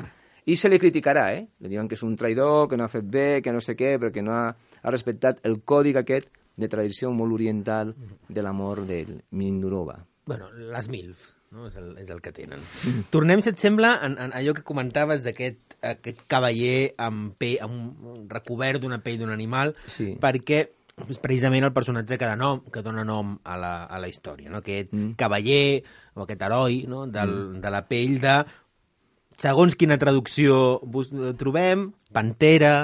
i se li criticarà, eh? Li diuen que és un traïdor, que no ha fet bé, que no sé què, perquè no ha, ha respectat el còdic aquest de tradició molt oriental de l'amor del Mignorova. Bueno, les milfs, no? És el, és el que tenen. Mm. Tornem, si et sembla, en, en allò que comentaves d'aquest aquest cavaller amb, pe, amb recobert d'una pell d'un animal, sí. Perquè és precisament el personatge que, nom, que dona nom a la, a la història, no? Aquest mm. cavaller o aquest heroi, no? Del, mm. de la pell de... Segons quina traducció trobem, pantera,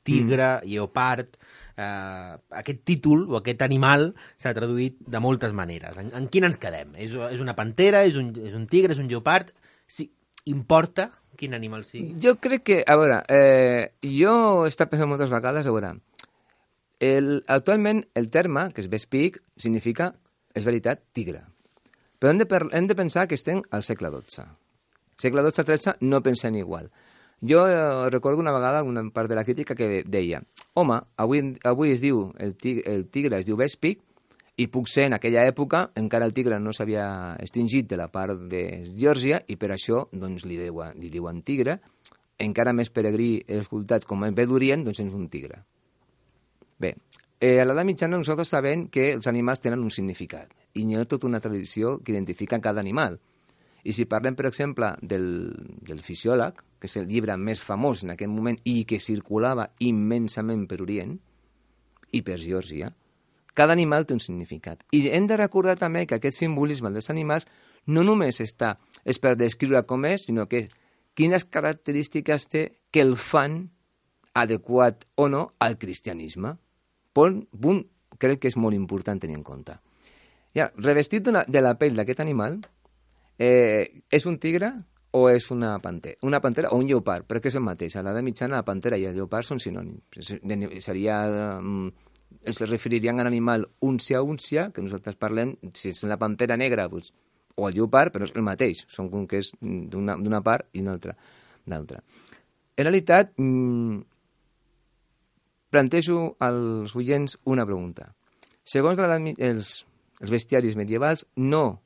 tigre, mm. lleopard... Uh, aquest títol o aquest animal s'ha traduït de moltes maneres. En, en quina ens quedem? És, és una pantera, és un, és un tigre, és un lleopard? Sí, importa quin animal sigui? Jo crec que, a veure, eh, jo he estat pensant moltes vegades, a veure, el, actualment el terme, que és Vespig, significa, és veritat, tigre. Però hem de, hem de pensar que estem al segle dotze. Segle dotze tretze no pensem igual. Jo eh, recordo una vegada una part de la crítica que deia home, avui, avui es diu, el tigre, el tigre es diu Vespig, i puc ser en aquella època, encara el tigre no s'havia extingit de la part de Geòrgia, i per això doncs, li, diuen, li diuen tigre, encara més peregrí escoltat com ve d'Orient, doncs és un tigre. Bé, eh, a l'edat mitjana nosaltres sabem que els animals tenen un significat, i hi ha tota una tradició que identifica cada animal. I si parlem, per exemple, del, del Fisiòleg, que és el llibre més famós en aquest moment i que circulava immensament per Orient i per Geòrgia, cada animal té un significat. I hem de recordar també que aquest simbolisme dels animals no només està, és per descriure com és, sinó que quines característiques té que el fan adequat o no al cristianisme. Punt, punt crec que és molt important tenir en compte. Ja, revestit de la pell d'aquest animal, Eh, és un tigre o és una pantera? Una pantera o un lleopard, però que és el mateix. A l'edat mitjana la pantera i el lleopard són sinònims. Seria, um, es referirien a l'animal úncia-úncia, que nosaltres parlem, si és la pantera negra, doncs, o el lleopard, però és el mateix, són com que és d'una part i una altra d'altra. En realitat, mmm, plantejo als oients una pregunta. Segons la, els, els bestiaris medievals, no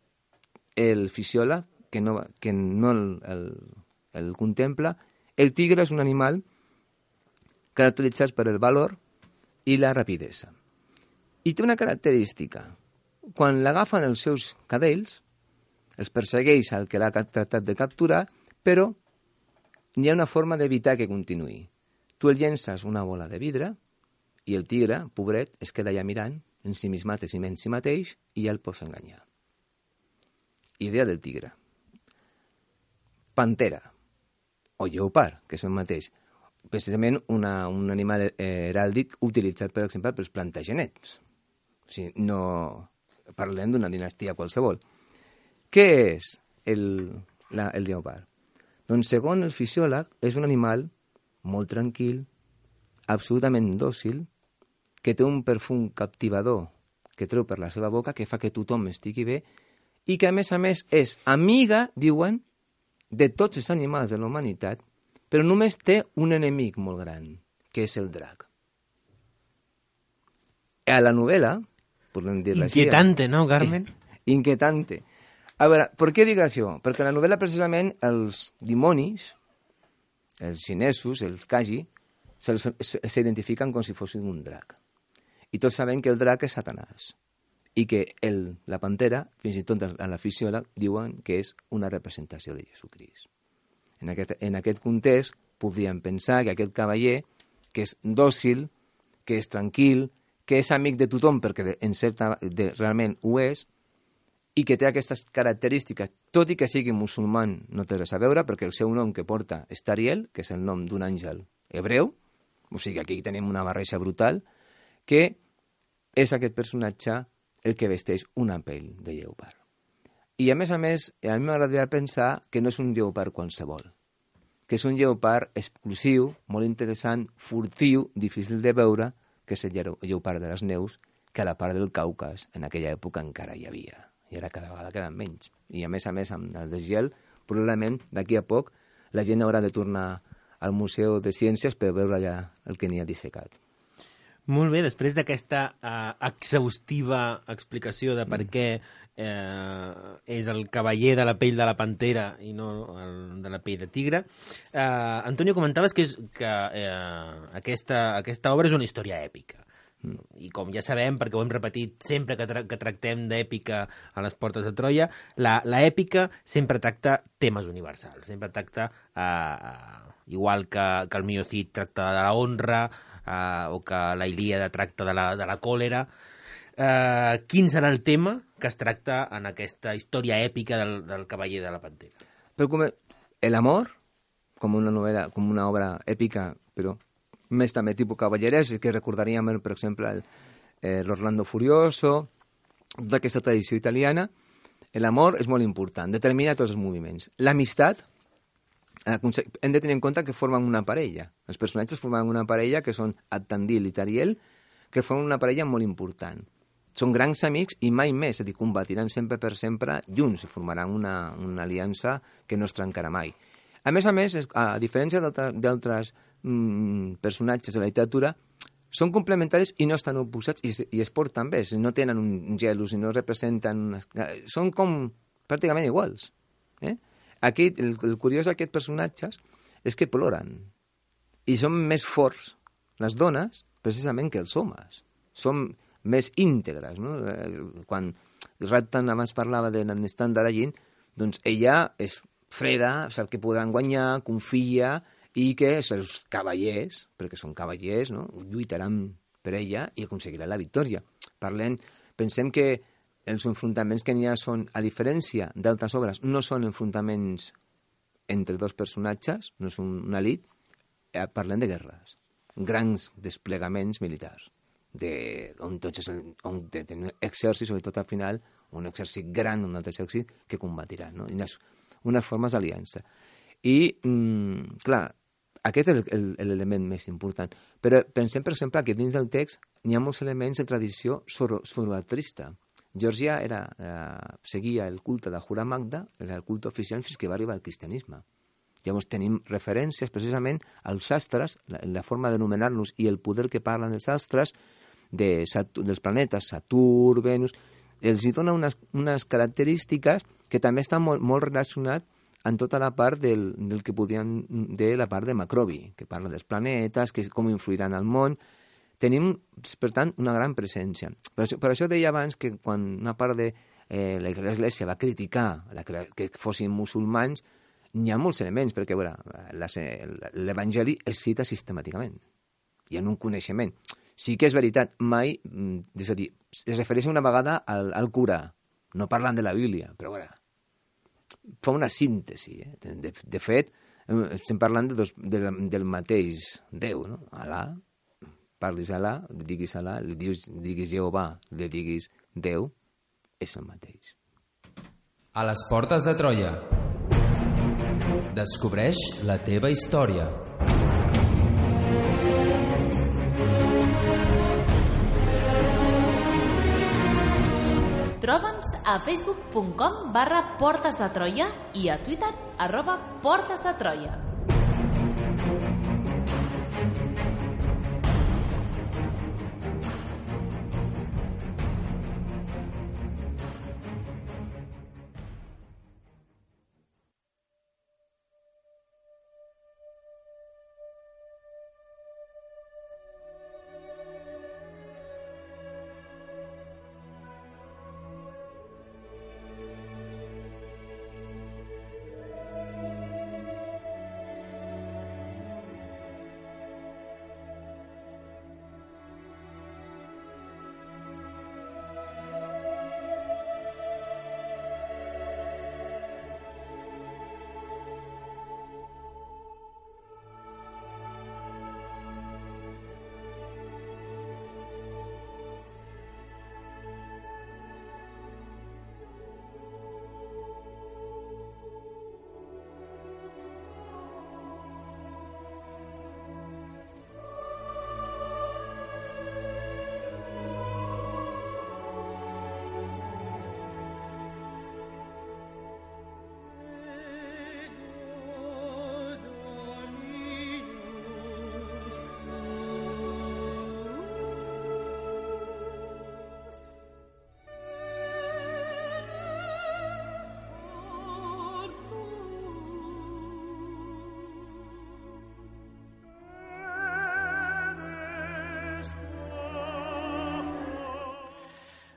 el fisiòleg, que no, que no el, el, el contempla, el tigre és un animal caracteritzat per el valor i la rapidesa. I té una característica. Quan l'agafen els seus cadells, els persegueix al que l'ha tractat de capturar, però hi ha una forma d'evitar que continuï. Tu el llences una bola de vidre i el tigre, pobret, es queda allà mirant en si mismat i en si mateix i ja el pots enganyar. Idea del tigre. Pantera o lleopard, que és el mateix. Precisament una, un animal heràldic utilitzat, per exemple, pels plantagenets. O sigui, no parlem d'una dinastia qualsevol. Què és el, la, el lleopard? Doncs, segons el fisiòleg, és un animal molt tranquil, absolutament dòcil, que té un perfum captivador que treu per la seva boca, que fa que tothom estigui bé, i que, a més a més, és amiga, diuen, de tots els animals de la humanitat, però només té un enemic molt gran, que és el drac. A la novel·la, podem dir-la així... Inquietante, no, Carmen? Inquietante. A veure, per què dic això? Perquè a la novel·la, precisament, els dimonis, els xinesos, els kaji, s'identifiquen com si fossin un drac. I tots sabem que el drac és Satanàs. I que el, la pantera, fins i tot a la fisiòleg, diuen que és una representació de Jesucrist. En aquest, en aquest context, podríem pensar que aquest cavaller, que és dòcil, que és tranquil, que és amic de tothom, perquè en certa, de, realment ho és, i que té aquestes característiques, tot i que sigui musulman, no té res a veure, perquè el seu nom que porta és Tariel, que és el nom d'un àngel hebreu, o sigui, aquí tenim una barreja brutal, que és aquest personatge el que vesteix una pell de lleopard. I, a més a més, a mi m'agradaria pensar que no és un lleopard qualsevol, que és un lleopard exclusiu, molt interessant, furtiu, difícil de veure, que és el lleopard de les neus, que a la part del Caucas, en aquella època, encara hi havia. I ara cada vegada queden menys. I, a més a més, amb el desgel, probablement, d'aquí a poc, la gent haurà de tornar al Museu de Ciències per veure allà el que n'hi ha dissecat. Molt bé, després d'aquesta uh, exhaustiva explicació de per què eh, és el cavaller de la pell de la pantera i no el de la pell de tigre, eh, Antonio, comentaves que, és, que eh, aquesta, aquesta obra és una història èpica. Mm. I com ja sabem, perquè ho hem repetit sempre que, tra que tractem d'èpica a les portes de Troia, la, la èpica sempre tracta temes universals, sempre tracta, eh, igual que, que el Miocid tracta de la honra, Uh, o que la Ilíada tracta de la, de la còlera. Uh, quin serà el tema que es tracta en aquesta història èpica del, del cavaller de la pantera? Però com el amor, com una novel·la, com una obra èpica, però més també tipus cavallerès, que recordaríem, per exemple, l'Orlando Furioso, tota aquesta tradició italiana. L'amor és molt important, determina tots els moviments. L'amistat, hem de tenir en compte que formen una parella. Els personatges formen una parella que són Attandil i Tariel, que formen una parella molt important. Són grans amics i mai més, és a dir, combatiran sempre per sempre junts i formaran una, una aliança que no es trencarà mai. A més a més, a diferència d'altres mm, personatges de la literatura, són complementaris i no estan oposats i, i es porten bé, no tenen un gelos i no representen... Unes... Són com pràcticament iguals, eh? Aquí, el, el curiós d'aquests personatges és que ploren i són més forts les dones precisament que els homes. Són més íntegres, no? Quan Rattan abans parlava de l'Anestan d'Aragin, doncs ella és freda, sap que podran guanyar, confia i que els cavallers, perquè són cavallers, no? Lluitaran per ella i aconseguiran la victòria. Parlem, pensem que els enfrontaments que n'hi ha són, a diferència d'altres obres, no són enfrontaments entre dos personatges, no és un, una elit, eh, parlem de guerres, grans desplegaments militars, de, on tots és, on tenen exèrcits, sobretot al final, un exèrcit gran, un altre exèrcit, que combatirà, no? Unes, unes formes d'aliança. I, mm, clar, aquest és l'element més important. Però pensem, per exemple, que dins del text n'hi ha molts elements de tradició zoroastrista, Geòrgia era, eh, seguia el culte de Jura Magda, era el culte oficial fins que va arribar el cristianisme. Llavors tenim referències precisament als astres, la, la forma d'anomenar-los i el poder que parlen dels astres, de Saturn, dels planetes Saturn, Venus, els hi dona unes, unes característiques que també estan molt, molt relacionats en tota la part del, del que podien dir la part de Macrobi, que parla dels planetes, que com influiran al món. Tenim, per tant, una gran presència. Per això, per això deia abans que quan una part de eh, l'Església va criticar la, que fossin musulmans, n'hi ha molts elements, perquè l'Evangeli es cita sistemàticament. Hi ha un coneixement. Sí que és veritat, mai, és a dir, es refereix una vegada al, al Corà, no parlant de la Bíblia, però bueno, fa una síntesi. Eh? De, de fet, estem parlant de dos, de, del mateix Déu, no? Alà, parlis Alà, li diguis Alà, li diguis, diguis Jehovà, li diguis Déu, és el mateix. A les portes de Troia. Descobreix la teva història. Troba'ns a facebook punt com barra Portes de Troia i a Twitter arroba Portes de Troia.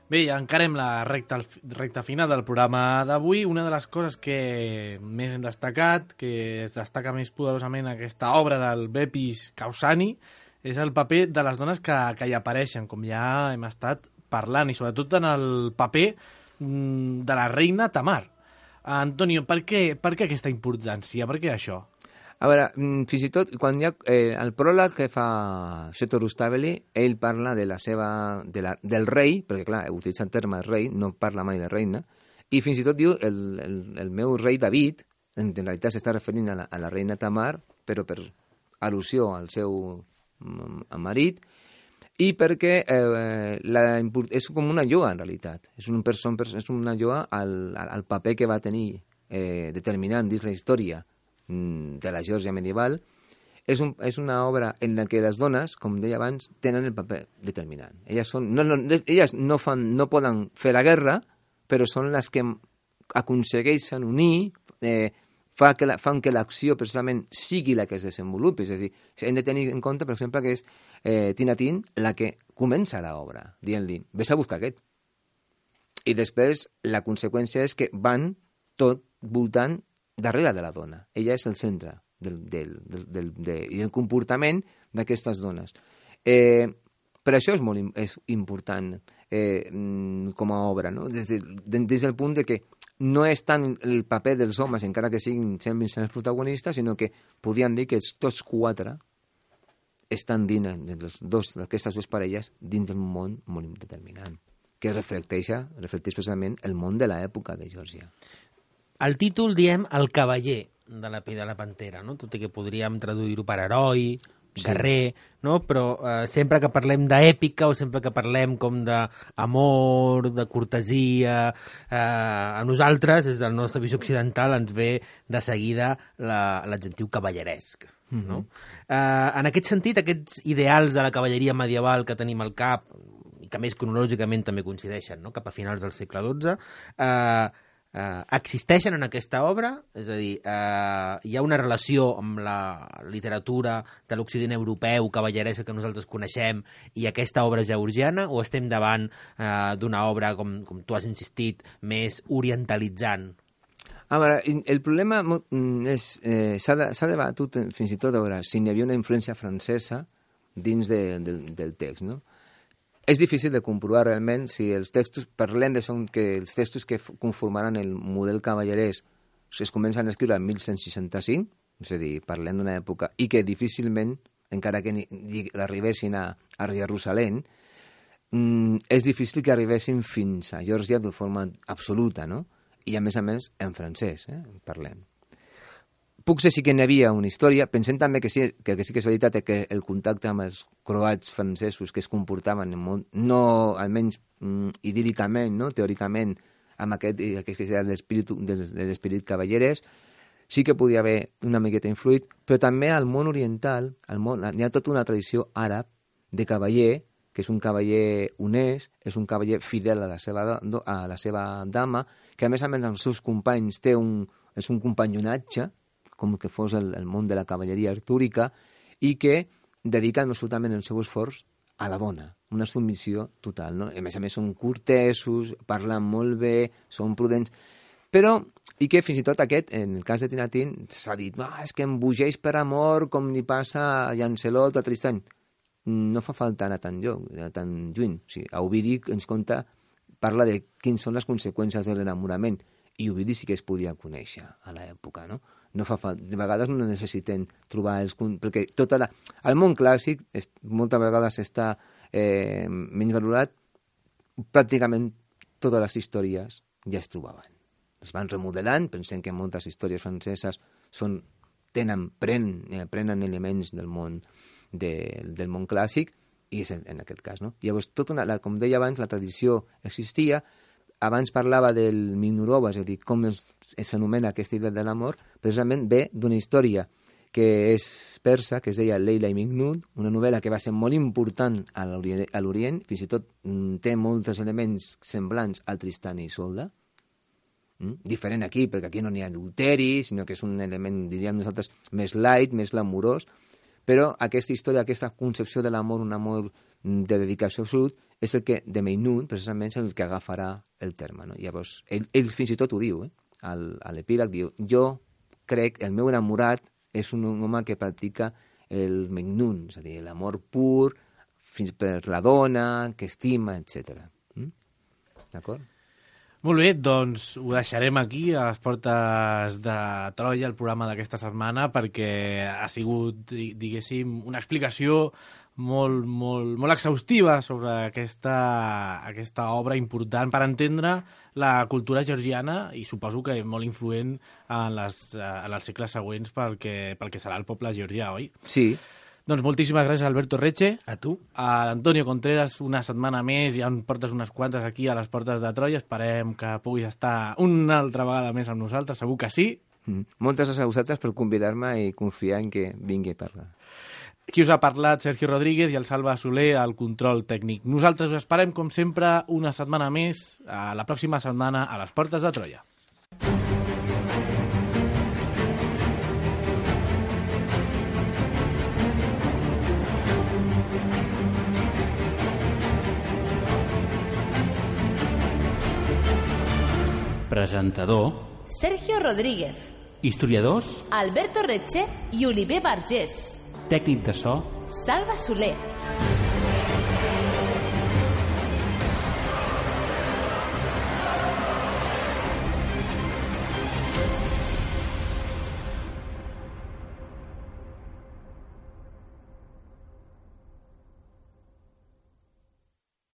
Bé, encarem la recta, recta final del programa d'avui. Una de les coses que més hem destacat, que es destaca més poderosament en aquesta obra del Bepis Causani, és el paper de les dones que, que hi apareixen, com ja hem estat parlant, i sobretot en el paper de la reina Tamar. Antonio, per què, per què aquesta importància? Per què això? A veure, fins i tot, quan hi ha eh, el pròleg que fa Seto Rustaveli, ell parla de la seva, de la, del rei, perquè clar, utilitza el terme rei, no parla mai de reina, i fins i tot diu el, el, el meu rei David, en, en realitat s'està referint a la, a la reina Tamar, però per al·lusió al seu marit, i perquè eh, la, és com una lloa, en realitat. És, un person, és una lloa al, al paper que va tenir eh, determinant dins la història de la Geòrgia medieval. És, un, és una obra en la que les dones, com deia abans, tenen el paper determinant. Elles, són, no, no, elles no, fan, no poden fer la guerra, però són les que aconsegueixen unir, eh, fa que la, fan que l'acció precisament sigui la que es desenvolupi. És a dir, hem de tenir en compte, per exemple, que és eh, Tinatín la que comença l'obra, dient-li, vés a buscar aquest. I després la conseqüència és que van tot voltant darrere de la dona. Ella és el centre del, del, del, del, de, i el comportament d'aquestes dones. Eh, per això és molt és important eh, com a obra, no? Des, de, des del punt de que no és tant el paper dels homes, encara que siguin sempre els protagonistes, sinó que podien dir que tots quatre estan dins d'aquestes dues parelles dins d'un món molt determinant, que reflecteix, reflecteix precisament el món de l'època de Geòrgia. Al títol diem el cavaller de la pell de la pantera, no? Tot i que podríem traduir-ho per heroi guerrer, no? Però eh, sempre que parlem d'èpica o sempre que parlem com d'amor, de cortesia, eh, a nosaltres, des de la nostra visió occidental, ens ve de seguida l'adjectiu cavalleresc. Mm-hmm. No? Eh, en aquest sentit, aquests ideals de la cavalleria medieval que tenim al cap, i que més cronològicament també coincideixen, no? Cap a finals del segle dotze, eh, eh, existeixen en aquesta obra? És a dir, eh, hi ha una relació amb la literatura de l'Occident europeu, cavalleresa que nosaltres coneixem, i aquesta obra georgiana, o estem davant eh, d'una obra, com, com tu has insistit, més orientalitzant? A veure, el problema és... Eh, s'ha debatut fins i tot a veure si hi havia una influència francesa dins de, de, del text, no? És difícil de comprovar realment si els textos, parlem de són que els textos que conformaran el model cavallerès es comencen a escriure en mil cent seixanta-cinc, és a dir, parlem d'una època, i que difícilment, encara que arribessin a, a Jerusalem, mm, és difícil que arribessin fins a Geòrgia de forma absoluta, no? I a més a més en francès, eh, parlem. Puc dir sí que n'hi havia una història, pensem també que sí que, que sí que és veritat que el contacte amb els croats francesos que es comportaven molt, no almenys mm, idíl·licament, no, teòricament, amb aquest, aquest que és l'esperit cavallerès, sí que podia haver una miqueta influït, però també al món oriental al món, hi ha tota una tradició àrab de cavaller, que és un cavaller honest, és un cavaller fidel a la seva, a la seva dama, que a més a més amb els seus companys té un, és un companyonatge, com que fos el, el món de la cavalleria artúrica, i que dediquen absolutament el seu esforç a la bona, una submissió total, no? A més a més són cortesos, parlen molt bé, són prudents, però, i que fins i tot aquest, en el cas de Tinatín, s'ha dit, ah, és que embogeix per amor com li passa a Lancelot o a Tristany. No fa falta anar tan, lloc, tan lluny. O sigui, a Ovidi ens conta, parla de quines són les conseqüències de l'enamorament, i Ovidi sí que es podia conèixer a l'època, no? No fa falta, de vegades no necessiten trobar els... Perquè tota la... el món clàssic és, moltes vegades està eh, menys valorat, pràcticament totes les històries ja es trobaven. Es van remodelant, pensem que moltes històries franceses són, tenen, prenen, prenen elements del món de, del món clàssic, i és en, en aquest cas, no? Llavors, tota una, la, com deia abans, la tradició existia. Abans parlava del Mignurova, és a dir, com s'anomena aquesta idea de l'amor, precisament ve d'una història que és persa, que es deia Leila i Mignun, una novel·la que va ser molt important a l'Orient, fins i tot té molts elements semblants al Tristany i Isolda, mm? Diferent aquí, perquè aquí no n'hi ha adulteri, sinó que és un element, diríem nosaltres, més light, més glamurós, però aquesta història, aquesta concepció de l'amor, un amor de dedicació absolut, és el que, de Meinun, precisament, és el que agafarà el terme, no? Llavors, ell, ell fins i tot ho diu, eh? Al, a l'epíleg diu, jo crec, el meu enamorat és un home que practica el Meinun, és a dir, l'amor pur, fins per la dona, que estima, etcètera. Mm? D'acord? Molt bé, doncs ho deixarem aquí a les portes de Troia, el programa d'aquesta setmana, perquè ha sigut, diguéssim, una explicació molt, molt, molt exhaustiva sobre aquesta, aquesta obra important per entendre la cultura georgiana i suposo que molt influent en, les, en els segles següents pel que, pel que serà el poble georgià, oi? Sí. Doncs moltíssimes gràcies, Alberto Reche. A tu. A Antonio Contreras, una setmana més, ja en portes unes quantes aquí a les portes de Troia. Esperem que puguis estar una altra vegada més amb nosaltres, segur que sí. Mm. Moltes gràcies a vosaltres per convidar-me i confiar en que vingui a parlar. Qui us ha parlat, Sergio Rodríguez, i el Salva Soler al control tècnic. Nosaltres us esperem, com sempre, una setmana més, a la pròxima setmana, a les portes de Troia. Presentador Sergio Rodríguez, historiadors, Alberto Reche i Oliver Vergés. tècnic de so Salva Soler.